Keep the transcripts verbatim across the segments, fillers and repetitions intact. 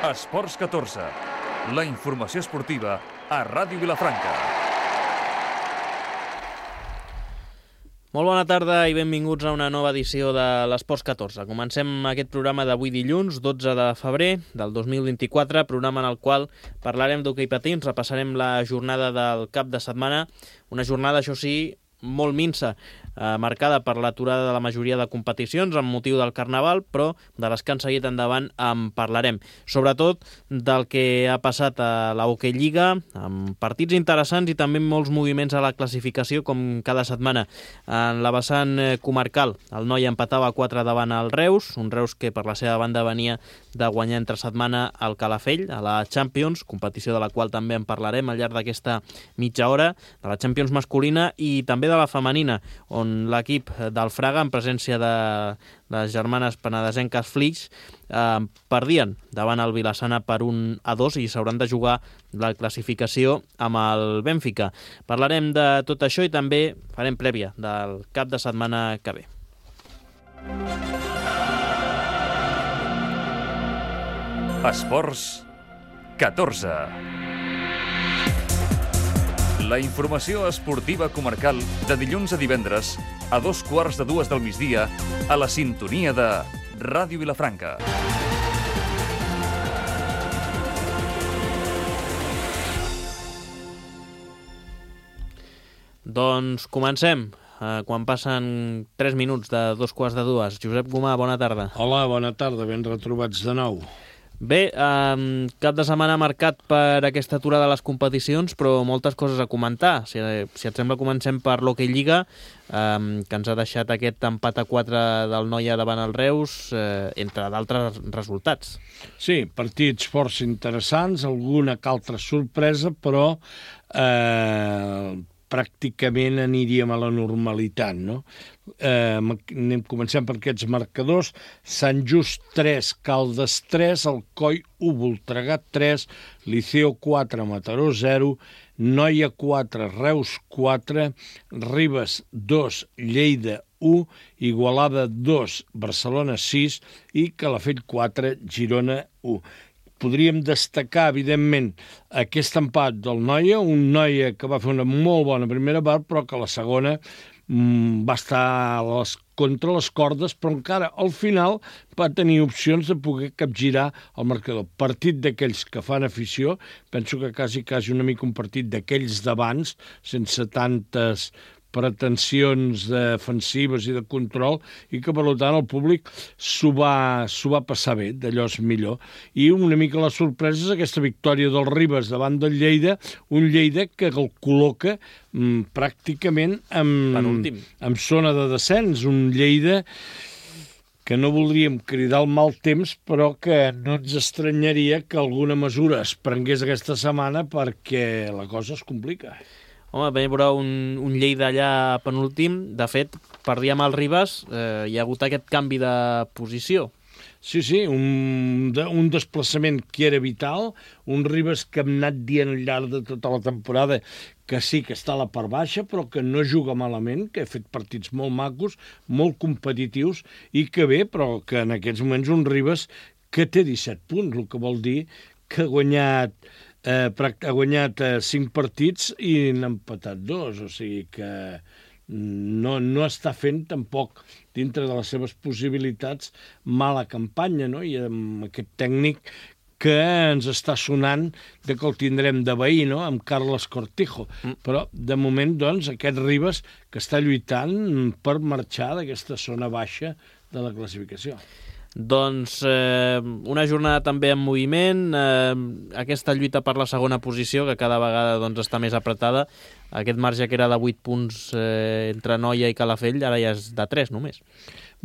Esports catorze, la informació esportiva a Ràdio Vilafranca. Molt bona tarda i benvinguts a una nova edició de l'Esports catorze. Comencem aquest programa d'avui dilluns, dotze de febrer del dos mil vint-i-quatre, programa en el qual parlarem d'hoquei patins, repassarem la jornada del cap de setmana, una jornada, això sí, molt minsa, eh, marcada per l'aturada de la majoria de competicions amb motiu del Carnaval, però de les que han seguit endavant en parlarem. Sobretot del que ha passat a la Hockey Lliga, amb partits interessants i també molts moviments a la classificació, com cada setmana. En la vessant comarcal, el Noia empatava quatre davant el Reus, un Reus que per la seva banda venia de guanyar entre setmana al Calafell, a la Champions, competició de la qual també en parlarem al llarg d'aquesta mitja hora, de la Champions masculina i també de la femenina, on l'equip del Fraga, en presència de les germanes penedesenques Flix, eh, perdien davant el Vilassana per un a dos i s'hauran de jugar la classificació amb el Bènfica. Parlarem de tot això i també farem prèvia del cap de setmana que ve. Esports catorze. La informació esportiva comarcal de dilluns a divendres a dos quarts de dues del migdia a la sintonia de Ràdio Vilafranca. Doncs comencem. Quan passen tres minuts de dos quarts de dues. Josep Gomà, bona tarda. Hola, bona tarda, ben retrobats de nou. Bé, eh, cap de setmana marcat per aquesta aturada de les competicions, però moltes coses a comentar. Si, si et sembla, comencem per l'Hockey Lliga, eh, que ens ha deixat aquest empat a quatre del Noia davant el Reus, eh, entre d'altres resultats. Sí, partits força interessants, alguna que altra sorpresa, però eh, pràcticament aniríem a la normalitat, no? Eh, anem, comencem per aquests marcadors. Sant Just tres, Caldes tres, Alcoi u, Voltregà tres, Liceo quatre, Mataró zero, Noia quatre, Reus quatre, Ribes dos, Lleida u, Igualada dos, Barcelona sis i Calafell quatre, Girona u. Podríem destacar, evidentment, aquest empat del Noia, un Noia que va fer una molt bona primera part, però que la segona mmm, va estar a les, contra les cordes, però encara al final va tenir opcions de poder capgirar el marcador. Partit d'aquells que fan afició, penso que quasi, quasi una mica un partit d'aquells d'abans, sense tantes pretensions defensives i de control, i que, per tant, el públic s'ho va, s'ho va passar bé, d'allò és millor. I una mica la sorpresa és aquesta victòria del Ribes davant del Lleida, un Lleida que el col·loca mm, pràcticament en, en zona de descens, un Lleida que no voldríem cridar el mal temps, però que no ens estranyaria que alguna mesura es prengués aquesta setmana perquè la cosa es complica. Home, vam veure un, un Lleida allà penúltim. De fet, perdia amb el Ribes, eh, hi ha hagut aquest canvi de posició. Sí, sí, un, de, un desplaçament que era vital, un Ribes que hem anat dient al llarg de tota la temporada que sí que està a la part baixa, però que no juga malament, que ha fet partits molt macos, molt competitius, i que bé, però que en aquests moments un Ribes que té disset punts, el que vol dir que ha guanyat Eh, ha guanyat eh, cinc partits i n'ha empatat dos, o sigui que no, no està fent tampoc dintre de les seves possibilitats mala campanya, no? I amb aquest tècnic que ens està sonant de que el tindrem de veí, no? Amb Carles Cortijo. Mm. Però, de moment, doncs, aquest Ribes que està lluitant per marxar d'aquesta zona baixa de la classificació. Doncs eh, una jornada també en moviment, eh, aquesta lluita per la segona posició, que cada vegada doncs, està més apretada. Aquest marge que era de vuit punts eh, entre Noia i Calafell, ara ja és de tres només.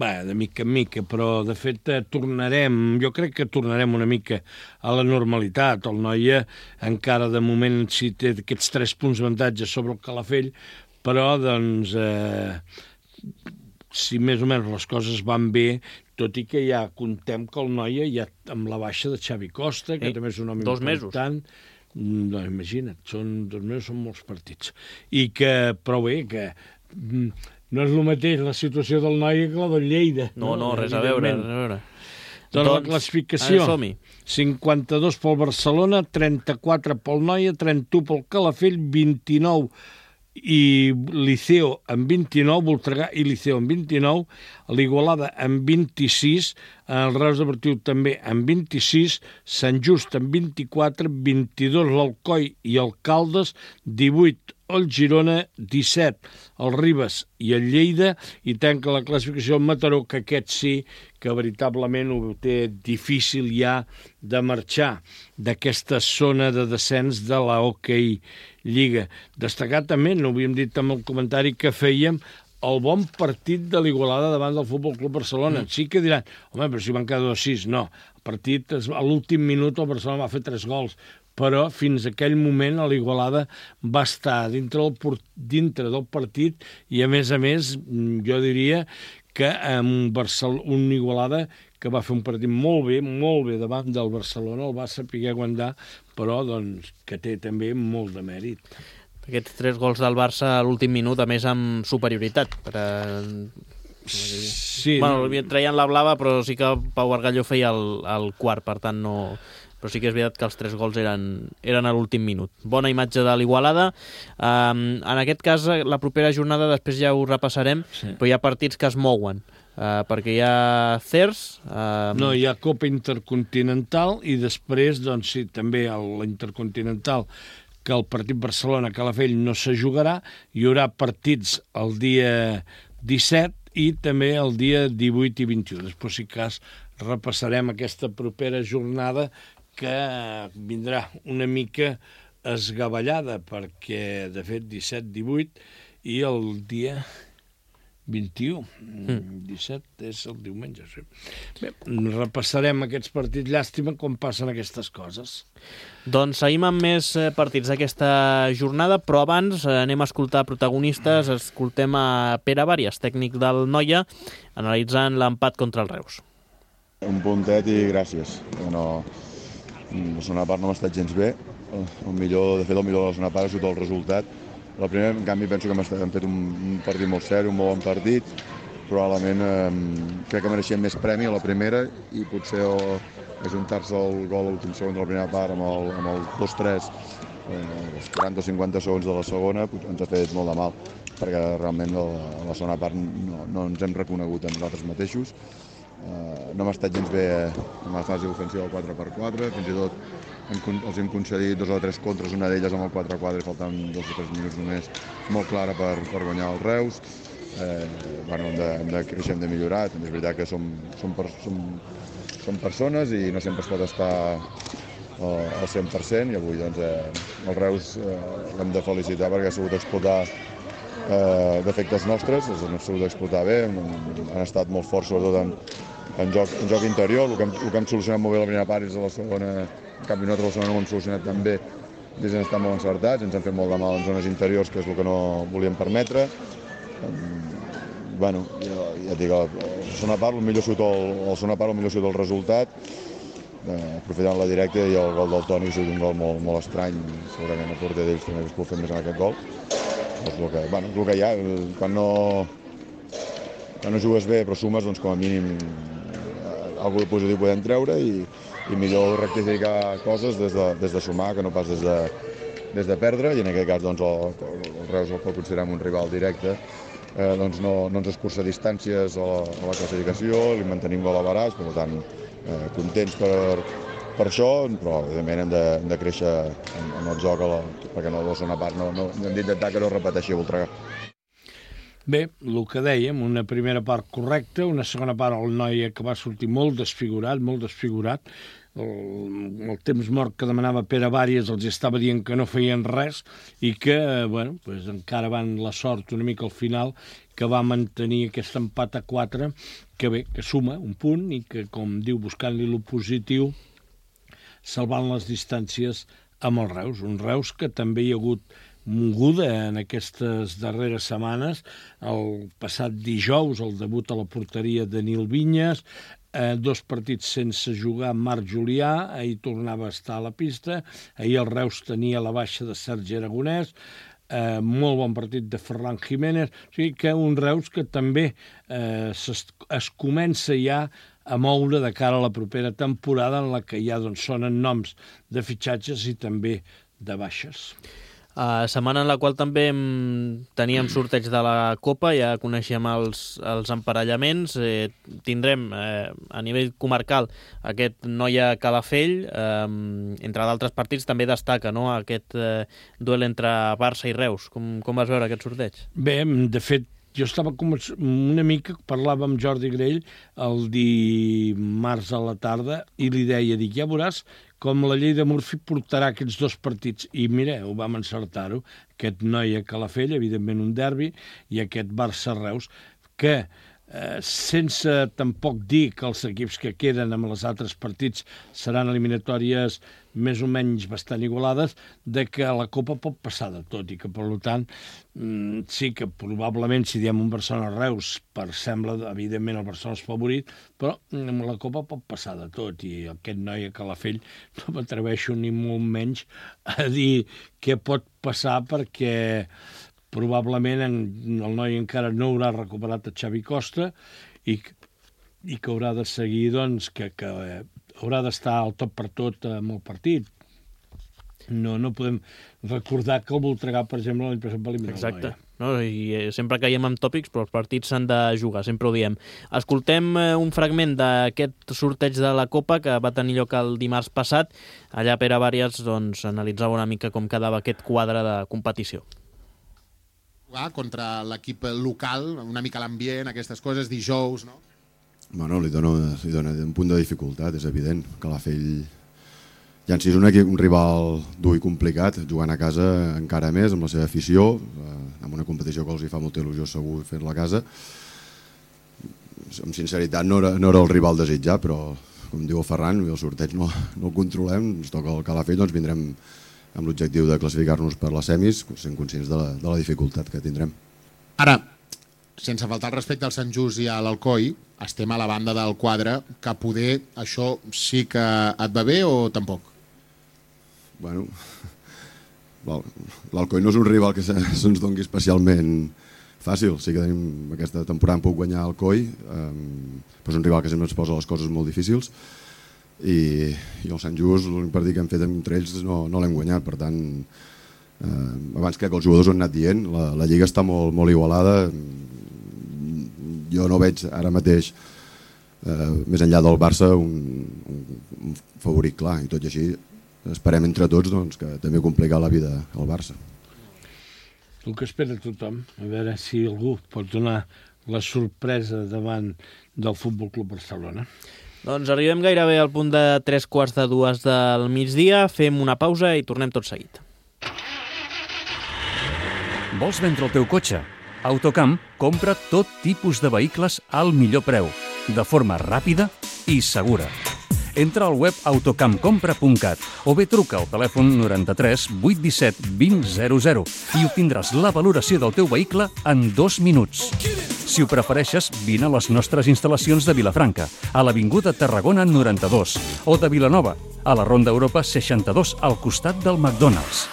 Bé, de mica en mica, però de fet tornarem, jo crec que tornarem una mica a la normalitat. El Noia encara de moment sí té aquests tres punts d'avantatge sobre el Calafell, però doncs eh, si més o menys les coses van bé, tot i que ja contem que el Noia ja amb la baixa de Xavi Costa, que Ei, també és un home dos important. Mesos. No, imagina't, són dos mesos, són molts partits. I que, però bé, que no és el mateix la situació del Noia que la del Lleida. No, no, no res a veure, res a veure. Doncs, doncs la classificació, som-hi. cinquanta-dos pel Barcelona, trenta-quatre pel Noia, trenta-u pel Calafell, vint-i-nou i Liceo amb vint-i-nou, Voltregà i Liceo amb vint-i-nou, l'Igualada amb vint-i-sis, el Reus Deportiu també amb vint-i-sis, Sant Just amb vint-i-quatre, vint-i-dos l'Alcoi i el Caldes, divuit el Girona, disset el Ribes i el Lleida, i tanca la classificació el Mataró, que aquest sí que veritablement ho té difícil ja de marxar d'aquesta zona de descens de la Hockey Lliga. Destacar també, no ho havíem dit amb el comentari que fèiem, el bon partit de l'Igualada davant del Futbol Club Barcelona. Mm. Sí que diran, home, però si van quedar dos sis. No, el partit, a l'últim minut el Barcelona va fer tres gols, però fins a aquell moment l'Igualada va estar dintre del, dintre del partit i, a més a més, jo diria que un, Barcel un Igualada que va fer un partit molt bé, molt bé davant del Barcelona, el va saber aguantar, però doncs, que té també molt de mèrit. Aquests tres gols del Barça a l'últim minut, a més amb superioritat. Per a... Sí. Bueno, traien la blava, però sí que Pau Bargalló feia el, el quart, per tant no... Però sí que és veritat que els tres gols eren, eren a l'últim minut. Bona imatge de l'Igualada. Um, en aquest cas, la propera jornada, després ja ho repassarem, sí. Però hi ha partits que es mouen, uh, perquè hi ha C E R S... Uh... No, hi ha Copa Intercontinental i després, doncs sí, també la Intercontinental, que el partit Barcelona-Calafell no se jugarà, hi haurà partits el dia disset i també el dia divuit i vint-i-u. Després, si cas, repassarem aquesta propera jornada que vindrà una mica esgavellada, perquè, de fet, disset divuit i el dia vint-i-u. Mm. disset és el diumenge, sí. Bé, repassarem aquests partits. Llàstima com passen aquestes coses. Doncs seguim amb més partits d'aquesta jornada, però abans anem a escoltar protagonistes. Escoltem a Pere Bàries, tècnic del Noia, analitzant l'empat contra el Reus. Un puntet i gràcies. No, la segona part no m'ha estat gens bé. El millor, de fet, el millor de la segona part ha sigut el resultat. La primera, en canvi, penso que hem fet un partit molt seri, un molt bon partit. Probablement eh, crec que mereixíem més premi a la primera i potser ajuntar-se el gol a l'últim segon de la primera part amb el, amb el dos tres, eh, els quaranta o cinquanta segons de la segona, ens ha fet molt de mal, perquè realment a la segona part no, no ens hem reconegut a nosaltres mateixos. Uh, no m'ha estat gens bé en la fase ofensiva del quatre per quatre, fins i tot hem, els hem concedit dos o tres contres, una d'elles amb el quatre quatre, faltant dos o tres minuts només, molt clara per, per guanyar el Reus. Eh, bueno, hem de, hem de créixer, hem de millorar, també és veritat que som, som, per, som, som persones i no sempre es pot estar uh, al cent per cent, i avui doncs, eh, el Reus eh, l'hem de felicitar perquè ha sabut explotar eh, defectes nostres, els han sabut explotar bé, han, han estat molt forts sobretot en En joc, en joc interior. El que, hem, el que hem solucionat molt bé la primera part és a la segona, en canvi nosaltres a la segona no ho hem solucionat tan bé, des d'en estar molt encertats, ens han fet molt de mal en zones interiors, que és el que no volíem permetre. Um, bueno, ja, ja et dic, a la segona part el millor surt el, a la segona part el millor surt el resultat, eh, aprofitant la directa, i el gol del Toni és un gol molt, molt estrany, segurament el porter d'ells també es pot fer més en aquest gol. És el que, bueno, és el que hi ha, quan no, quan no jugues bé però sumes, doncs com a mínim algú de positiu podem treure, i, i millor rectificar coses des de, des de sumar que no pas des de, des de perdre, i en aquest cas doncs, el, el Reus el pot considerar un rival directe, eh, doncs no, no ens escurça distàncies a la, a la classificació, li mantenim gol a baràs, per tant eh, contents per, per això, però evidentment hem de, hem de créixer en, en el joc, a la, perquè no, la segona part no, no, hem d'intentar que no repeteixi a Voltregà. Bé, el que dèiem, una primera part correcta, una segona part el Noia que va sortir molt desfigurat, molt desfigurat. El, el temps mort que demanava Pere Bàries els estava dient que no feien res i que, bueno, pues encara van la sort una mica al final, que va mantenir aquest empat a quatre, que bé, que suma un punt i que, com diu, buscant-li lo positiu, salvant les distàncies amb el Reus. Un Reus que també hi ha hagut moguda en aquestes darreres setmanes. El passat dijous, el debut a la porteria de Nil Vinyes, eh, dos partits sense jugar amb Marc Julià, ahir tornava a estar a la pista, ahir el Reus tenia la baixa de Sergi Aragonès, eh, molt bon partit de Ferran Jiménez, o sigui que un Reus que també eh, es, es comença ja a moure de cara a la propera temporada, en la que ja doncs, sonen noms de fitxatges i també de baixes. Uh, setmana en la qual també teníem sorteig de la Copa, ja coneixem els, els emparellaments, eh, tindrem eh, a nivell comarcal aquest Noia Calafell, eh, entre d'altres partits també destaca, no?, aquest eh, duel entre Barça i Reus. Com, com vas veure aquest sorteig? Bé, de fet, jo estava com una mica, parlava amb Jordi Grell el dimarts a la tarda i li deia, dic, ja veuràs com la llei de Murphy portarà aquests dos partits. I mira, ho vam encertar-ho, aquest Noia Calafell, evidentment un derbi, i aquest Barça-Reus, que eh, sense tampoc dir que els equips que queden amb els altres partits seran eliminatòries més o menys bastant igualades, de que la Copa pot passar de tot i que, per tant, sí que probablement, si diem un Barcelona-Reus, per sembla, evidentment, el Barcelona és favorit, però la Copa pot passar de tot i aquest Noia Calafell no m'atreveixo ni molt menys a dir què pot passar perquè probablement el noi encara no haurà recuperat a Xavi Costa i, i que haurà de seguir, doncs, que, que haurà d'estar al tot per tot amb el partit. No, no podem recordar que el Voltregà, per exemple, l'any passat va eliminar el Noia. Exacte. No, i sempre caiem en tòpics, però els partits s'han de jugar, sempre ho diem. Escoltem un fragment d'aquest sorteig de la Copa que va tenir lloc el dimarts passat. Allà Pere Bàries doncs, analitzava una mica com quedava aquest quadre de competició. Jugar contra l'equip local, una mica l'ambient, aquestes coses, dijous, no? Bueno, li dona, li dona un punt de dificultat, és evident. Calafell ja en si és un, equip, un rival dur i complicat, jugant a casa encara més, amb la seva afició, eh, amb una competició que els hi fa molta il·lusió segur fer-la a casa. Amb sinceritat no era, no era el rival desitjat, però com diu el Ferran, el sorteig no, no el controlem, ens toca el Calafell, doncs vindrem amb l'objectiu de classificar-nos per les semis, sent conscients de la, de la dificultat que tindrem. Ara, sense faltar el respecte al Sant Just i a l'Alcoi, estem a la banda del quadre, que poder això sí que et va bé o tampoc? Bueno, l'Alcoi no és un rival que se'ns doni especialment fàcil. Sí que tenim aquesta temporada puc guanyar Alcoi, eh, però és un rival que sempre ens posa les coses molt difícils i, i el Sant Just, l'únic partit que hem fet entre ells no, no l'hem guanyat, per tant, eh, abans crec que els jugadors ho han anat dient, la, la lliga està molt, molt igualada. Jo no veig ara mateix, eh, més enllà del Barça, un, un, un favorit clar, i tot i així esperem entre tots doncs, que també complica la vida al Barça. El que espera tothom, a veure si algú pot donar la sorpresa davant del Futbol Club Barcelona. Doncs arribem gairebé al punt de tres quarts de dues del migdia, fem una pausa i tornem tot seguit. Vols vendre el teu cotxe? Autocamp compra tot tipus de vehicles al millor preu, de forma ràpida i segura. Entra al web autocampcompra punt cat o bé truca al telèfon noranta-tres vuit disset vint zero zero i obtindràs la valoració del teu vehicle en dos minuts. Si ho prefereixes, vine a les nostres instal·lacions de Vilafranca, a l'Avinguda Tarragona noranta-dos, o de Vilanova, a la Ronda Europa seixanta-dos, al costat del McDonald's.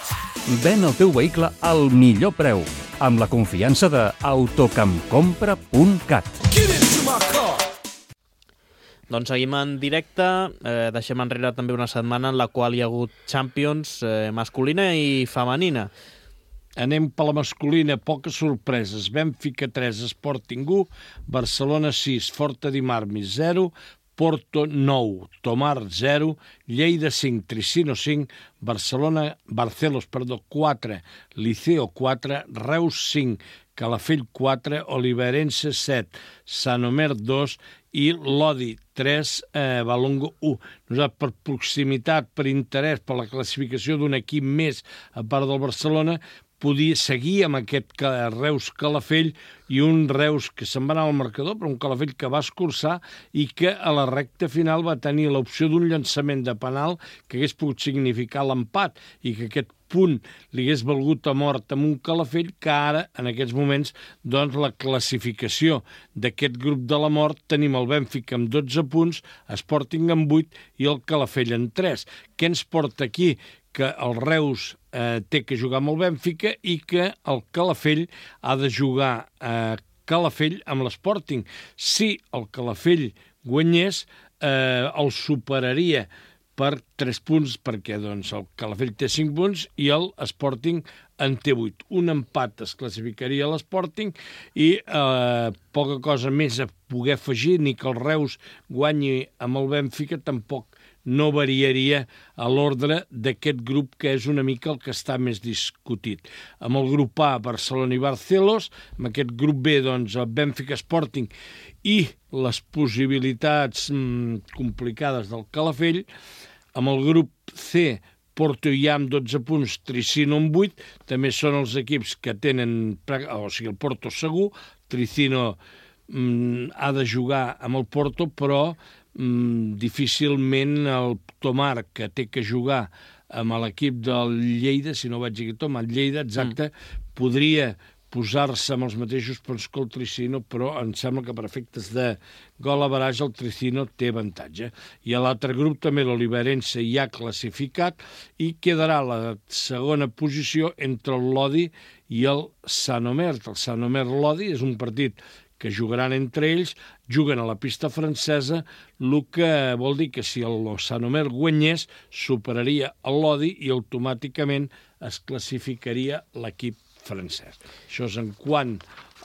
Ven el teu vehicle al millor preu, amb la confiança de autocampcompra punt cat. Doncs seguim en directe, eh, deixem enrere també una setmana en la qual hi ha hagut Champions eh, masculina i femenina. Anem per la masculina, poques sorpreses. Benfica tres, Sporting u, Barcelona sis, Forta di Marmi zero, Porto nou, Tomar zero, Lleida cinc, Tricino cinc, Barcelona, Barcelos, perdó, quatre, Liceo quatre, Reus cinc, Calafell quatre, Oliveirense set, Sant Omer dos i Lodi tres, eh, Valongo u. Nosaltres, per proximitat, per interès, per la classificació d'un equip més a part del Barcelona, podia seguir amb aquest Reus-Calafell i un Reus que se'n va anar al marcador, però un Calafell que va escurçar i que a la recta final va tenir l'opció d'un llançament de penal que hagués pogut significar l'empat i que aquest punt li hagués valgut a mort amb un Calafell que ara, en aquests moments, doncs la classificació d'aquest grup de la mort tenim el Benfica amb dotze punts, Sporting amb vuit i el Calafell amb tres. Què ens porta aquí? Que el Reus eh, té que jugar amb el Benfica i que el Calafell ha de jugar a Calafell amb l'Sporting. Si el Calafell guanyés, eh, el superaria per tres punts, perquè doncs, el Calafell té cinc punts i el Sporting en té vuit. Un empat es classificaria a l'Sporting i eh, poca cosa més a poder afegir, ni que el Reus guanyi amb el Benfica, tampoc no variaria a l'ordre d'aquest grup, que és una mica el que està més discutit. Amb el grup A, Barcelona i Barcelos, amb aquest grup B, doncs, el Benfica Sporting i les possibilitats mmm, complicades del Calafell, amb el grup C, Porto i amb dotze punts, Tricino amb vuit, també són els equips que tenen, o sigui, el Porto segur, Tricino mmm, ha de jugar amb el Porto, però Mm, difícilment el Tomar, que té que jugar amb l'equip del Lleida, si no vaig dir Tomar, Lleida, exacte, mm. podria posar-se amb els mateixos punts que el Tricino, però em sembla que per efectes de gol a barrage el Tricino té avantatge. I a l'altre grup també l'Oliverense ja ha classificat i quedarà la segona posició entre el Lodi i el Sant Omer. El Sant Omer-Lodi és un partit que jugaran entre ells, juguen a la pista francesa, el que vol dir que si el Sant Omer guanyés, superaria el Lodi i automàticament es classificaria l'equip francès. Això és en quant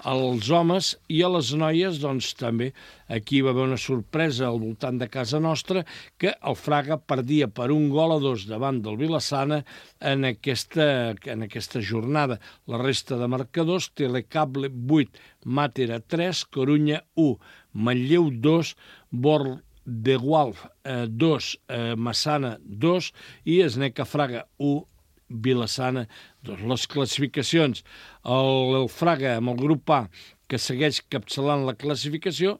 als homes, i a les noies, doncs també aquí va haver una sorpresa al voltant de casa nostra, que el Fraga perdia per un gol a dos davant del Vilassana en aquesta, en aquesta jornada. La resta de marcadors: Telecable vuit, Màtera tres, Corunya u, Manlleu dos, Bor de Gualf dos, eh, Massana dos i Esneca Fraga u, Vilassana dos. Les classificacions: el, el Fraga amb el grup A, que segueix capçalant la classificació,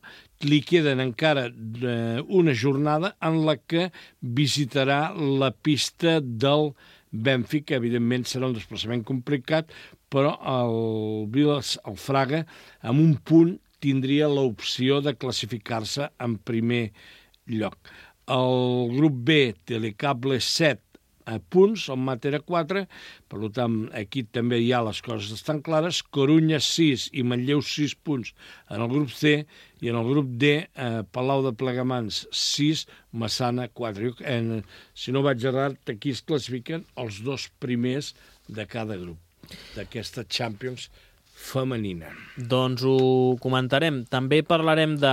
li queden encara eh, una jornada en la que visitarà la pista del Benfica. Evidentment serà un desplaçament complicat, però el, Vilas, el Fraga amb un punt tindria l'opció de classificar-se en primer lloc. El grup B, Telecable set a punts, el Màtera quatre, per tant, aquí també hi ha les coses estan clares. Corunya sis i Manlleu sis punts en el grup C, i en el grup D, eh, Palau de Plegamans sis, Massana quatre. En, si no vaig errat, aquí es classifiquen els dos primers de cada grup d'aquesta Champions femenina. Doncs ho comentarem. També parlarem de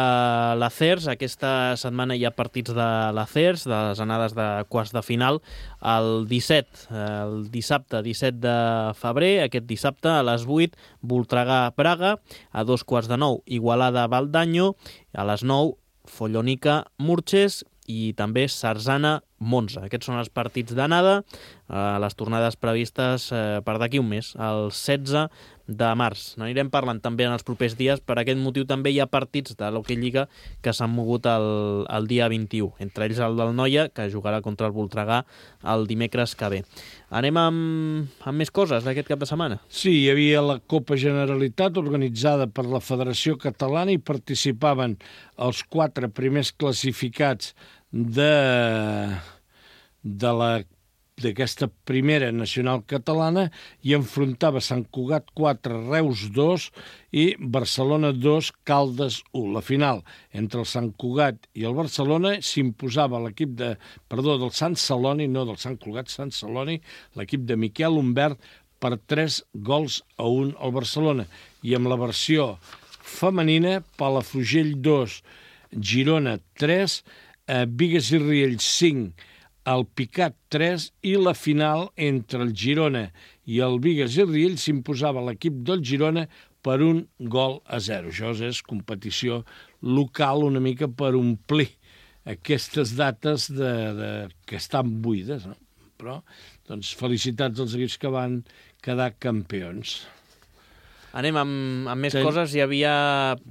l'Acers. Aquesta setmana hi ha partits de l'Acers, de les anades de quarts de final. El disset, el dissabte disset de febrer, aquest dissabte a les vuit, Voltregà-Praga, a dos quarts de nou, Igualada-Valdanyo, a les nou, Follonica-Murches i també Sarzana-Monza. Aquests són els partits d'anada, eh, les tornades previstes eh, per d'aquí un mes, el setze de març. N'anirem parlant també en els propers dies. Per aquest motiu també hi ha partits de l'Hockey Lliga que s'han mogut el, el dia vint-i-u, entre ells el del Noia, que jugarà contra el Voltregà el dimecres que ve. Anem amb, amb més coses d'aquest cap de setmana. Sí, hi havia la Copa Generalitat organitzada per la Federació Catalana i participaven els quatre primers classificats de, de la d'aquesta primera nacional catalana, i enfrontava Sant Cugat quatre, Reus dos i Barcelona dos, Caldes u. La final entre el Sant Cugat i el Barcelona s'imposava l'equip de, perdó, del Sant Celoni, no del Sant Cugat, Sant Celoni, l'equip de Miquel Humbert per tres gols a un al Barcelona. I amb la versió femenina, Palafrugell dos, Girona tres, eh, Bigues i Riells cinc, el Picat tres, i la final entre el Girona i el Bigues i Riells s'imposava l'equip del Girona per un gol a zero. Això és competició local una mica per omplir aquestes dates de, de, que estan buides, no? Però, doncs, felicitats als equips que van quedar campions. Anem amb, amb més Ten... coses. Hi havia...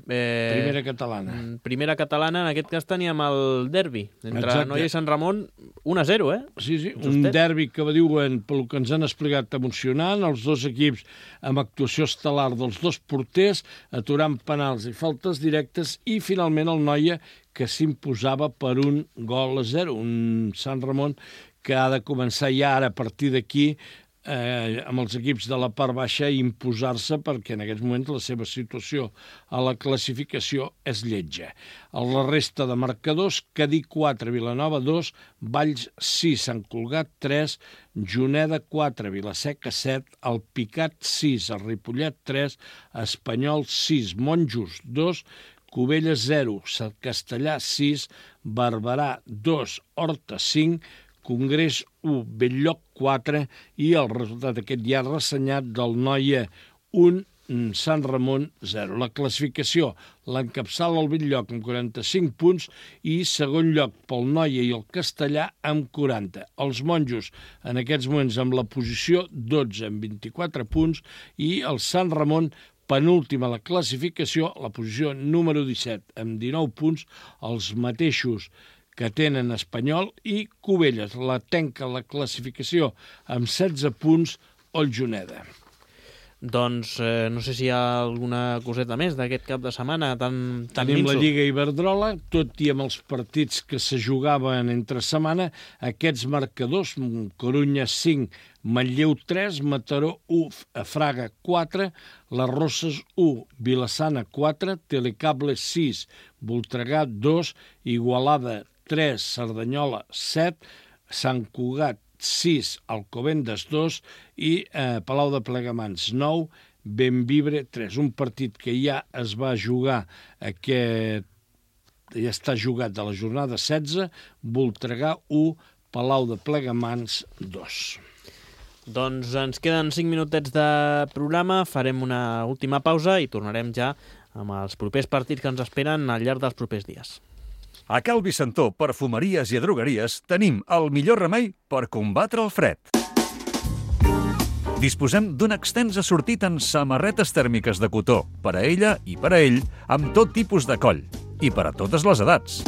Eh, primera catalana. Primera catalana, en aquest cas teníem el derbi entre Exacte. Noia i Sant Ramon, un a zero, eh? Sí, sí, Justet. un derbi que diuen, pel que ens han explicat, emocionant, els dos equips amb actuació estel·lar dels dos porters, aturant penals i faltes directes, i finalment el Noia, que s'imposava per un gol a zero, un Sant Ramon que ha de començar ja ara a partir d'aquí eh, amb els equips de la part baixa imposar-se, perquè en aquests moments la seva situació a la classificació és lletja. A la resta de marcadors, Cadí quatre, Vilanova dos, Valls sis, Sant Cugat tres, Juneda quatre, Vilaseca set, el Picat sis, el Ripollet tres, Espanyol sis, Monjos dos, Cubelles zero, Castellà sis, Barberà dos, Horta cinc, Congrés u, Bell-lloc quatre i el resultat aquest ja ressenyat del Noia un, Sant Ramon zero. La classificació l'encapçala el Bell-lloc amb quaranta-cinc punts i segon lloc pel Noia i el Castellà amb quaranta. Els Monjos en aquests moments amb la posició dotze amb vint-i-quatre punts i el Sant Ramon penúltima la classificació, la posició número disset amb dinou punts, els mateixos que tenen Espanyol i Cubelles. La tanca la classificació amb setze punts el Juneda. Doncs eh, no sé si hi ha alguna coseta més d'aquest cap de setmana tan, tan Tenim minso. la Lliga Iberdrola, tot i amb els partits que se jugaven entre setmana, aquests marcadors, Corunya cinc, Manlleu tres, Mataró u, Fraga quatre, Les Roses u, Vilassana quatre, Telecable sis, Voltregà dos, Igualada tres, Cerdanyola set, Sant Cugat sis, Alcobendas dos i eh, Palau de Plegamans nou, Benvibre tres. Un partit que ja es va jugar aquest, ja està jugat de la jornada setze, Voltregà u, Palau de Plegamans dos. Doncs ens queden cinc minutets de programa, farem una última pausa i tornarem ja amb els propers partits que ens esperen al llarg dels propers dies. A Cal Vicentó, perfumeries i drogueries, tenim el millor remei per combatre el fred. Disposem d'un extens assortit en samarretes tèrmiques de cotó, per a ella i per a ell, amb tot tipus de coll, i per a totes les edats.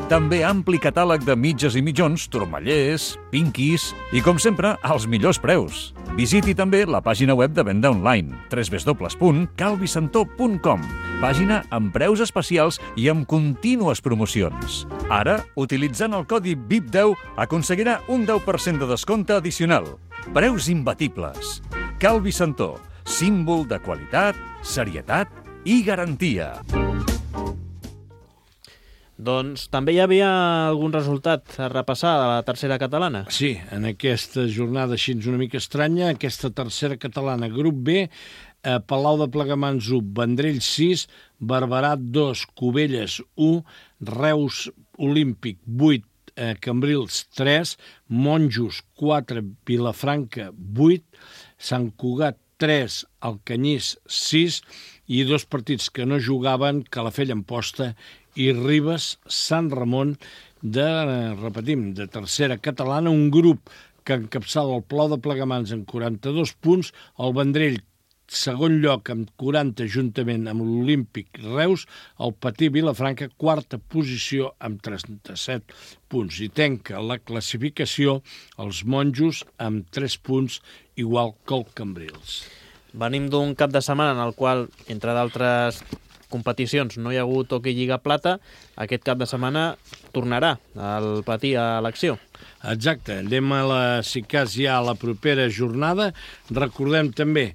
També ampli catàleg de mitges i mitjons, turmallers, pinquis i, com sempre, als millors preus. Visiti també la pàgina web de venda online, w w w punt cal vicentó punt com, pàgina amb preus especials i amb contínues promocions. Ara, utilitzant el codi V I P deu, aconseguirà un deu per cent de descompte addicional. Preus imbatibles. Cal Vicentó, símbol de qualitat, serietat i garantia. Doncs també hi havia algun resultat a repassar de la tercera catalana? Sí, en aquesta jornada així una mica estranya, aquesta tercera catalana, grup B, eh, Palau de Plegamans u, Vendrell sis, Barberà dos, Cubelles u, Reus Olímpic vuit, eh, Cambrils tres, Monjos quatre, Vilafranca vuit, Sant Cugat tres, Alcanyís sis i dos partits que no jugaven, Calafell Amposta i Ribes Sant Ramon de, repetim, de tercera catalana, un grup que encapçala el Palau de Plegamans amb quaranta-dos punts, el Vendrell segon lloc amb quaranta juntament amb l'Olímpic Reus, el Patí Vilafranca quarta posició amb trenta-set punts i tanca la classificació els Monjos amb tres punts igual que el Cambrils. Venim d'un cap de setmana en el qual, entre d'altres competicions, no hi ha hagut Hockey Lliga Plata. Aquest cap de setmana tornarà el Patí a l'acció. Exacte, anem a la, si cas ja a la propera jornada. Recordem també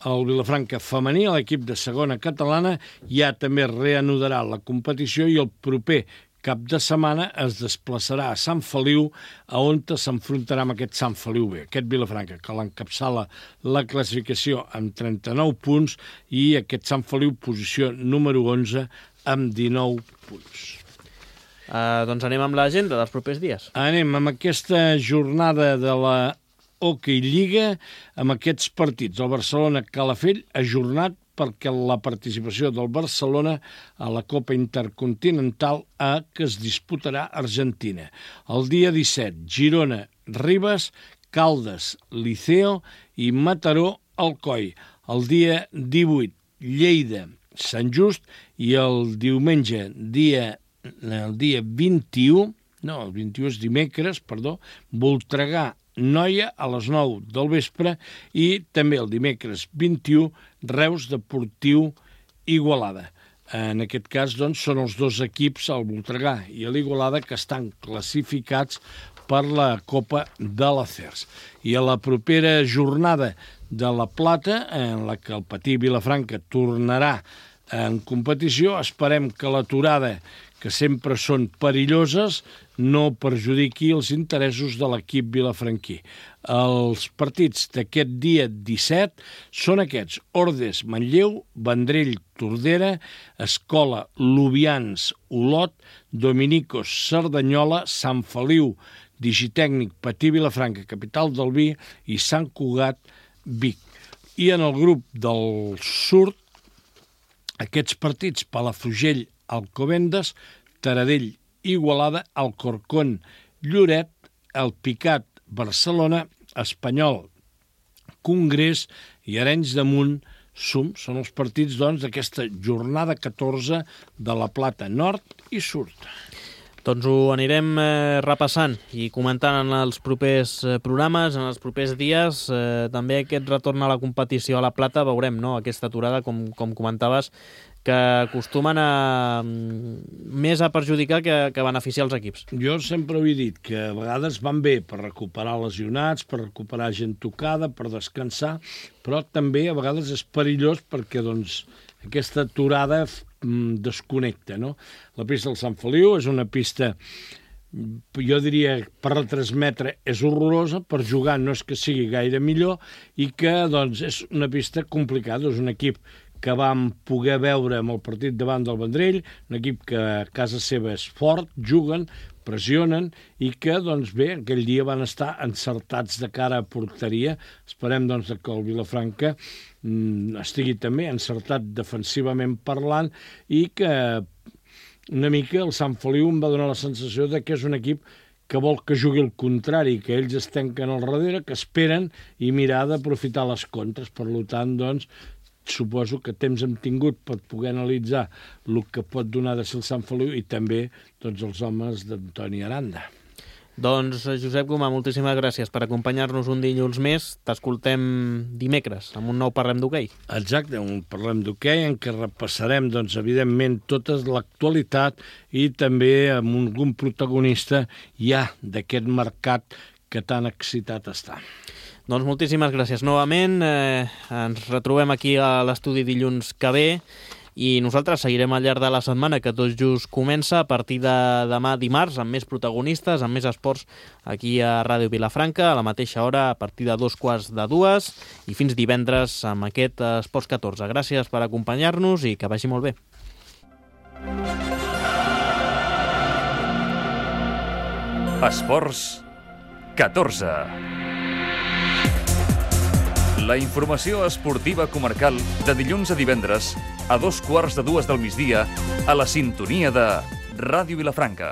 el Vilafranca femení, l'equip de segona catalana, ja també reanudarà la competició i el proper cap de setmana es desplaçarà a Sant Feliu, a on s'enfrontarà amb aquest Sant Feliu B, aquest Vilafranca, que l'encapçala la classificació amb trenta-nou punts i aquest Sant Feliu posició número onze amb dinou punts. Uh, doncs anem amb l'agenda dels propers dies. Anem amb aquesta jornada de la Hockey Lliga, amb aquests partits. El Barcelona-Calafell ajornat perquè la participació del Barcelona a la Copa Intercontinental A que es disputarà a Argentina. El dia disset, Girona, Ribes, Caldes, Liceo i Mataró, Alcoi. El dia divuit, Lleida, Sant Just i el diumenge, dia, el dia vint-i-u, no, el vint-i-u és dimecres, perdó, Voltregà, Noia a les nou del vespre i també el dimecres vint-i-u Reus Deportiu Igualada. En aquest cas doncs, són els dos equips, el Voltregà i l'Igualada, que estan classificats per la Copa de l'Acers. I a la propera jornada de La Plata, en la que el Patí Vilafranca tornarà en competició, esperem que l'aturada, que sempre són perilloses, no perjudiqui els interessos de l'equip vilafranquí. Els partits d'aquest dia disset són aquests: Ordes, Manlleu, Vendrell, Tordera, Escola, Lubians, Olot, Dominicos, Cerdanyola, Sant Feliu, Digitècnic, Patí Vilafranca, Capital del Vi, i Sant Cugat, Vic. I en el grup del sud, aquests partits: Palafrugell, Alcobendas, Taradell, Igualada, Alcorcón, Lloret, El Picat, Barcelona, Espanyol, Congrés i Arenys de Munt, Sum. Són els partits, doncs, d'aquesta jornada catorze de La Plata, nord i sud. Doncs ho anirem eh, repassant i comentant en els propers eh, programes, en els propers dies. Eh, també aquest retorn a la competició a La Plata, veurem, no?, aquesta aturada, com, com comentaves, que acostumen a més a perjudicar que, que a beneficiar els equips. Jo sempre ho he dit, que a vegades van bé per recuperar lesionats, per recuperar gent tocada, per descansar, però també a vegades és perillós perquè, doncs, aquesta aturada desconnecta, no? La pista del Sant Feliu és una pista, jo diria, per retransmetre és horrorosa, per jugar no és que sigui gaire millor, i que, doncs, és una pista complicada. És un equip que vam poder veure amb el partit davant del Vendrell, un equip que a casa seva és fort, juguen, pressionen, i que, doncs bé, aquell dia van estar encertats de cara a porteria. Esperem, doncs, que el Vilafranca mm, estigui també encertat defensivament parlant, i que una mica el Sant Feliu em va donar la sensació de que és un equip que vol que jugui el contrari, que ells es tanquen al darrere, que esperen i mirar d'aprofitar les contres. Per tant, doncs, suposo que temps hem tingut per poder analitzar el que pot donar de ser el Sant Feliu i també, doncs, els homes d'Antoni Aranda. Doncs, Josep Gomà, moltíssimes gràcies per acompanyar-nos un dilluns més. T'escoltem dimecres amb un nou Parlem d'Hoquei. Exacte, un Parlem d'Hoquei en què repassarem, doncs, evidentment, tota l'actualitat i també amb algun protagonista ja d'aquest mercat que tan excitat està. Doncs moltíssimes gràcies novament. Eh, ens retrobem aquí a l'estudi dilluns que ve i nosaltres seguirem al llarg de la setmana, que tot just comença a partir de demà dimarts, amb més protagonistes, amb més esports aquí a Ràdio Vilafranca, a la mateixa hora, a partir de dos quarts de dues, i fins divendres amb aquest Esports catorze. Gràcies per acompanyar-nos i que vagi molt bé. Esports catorze. La informació esportiva comarcal de dilluns a divendres a dos quarts de dues del migdia a la sintonia de Ràdio Vilafranca.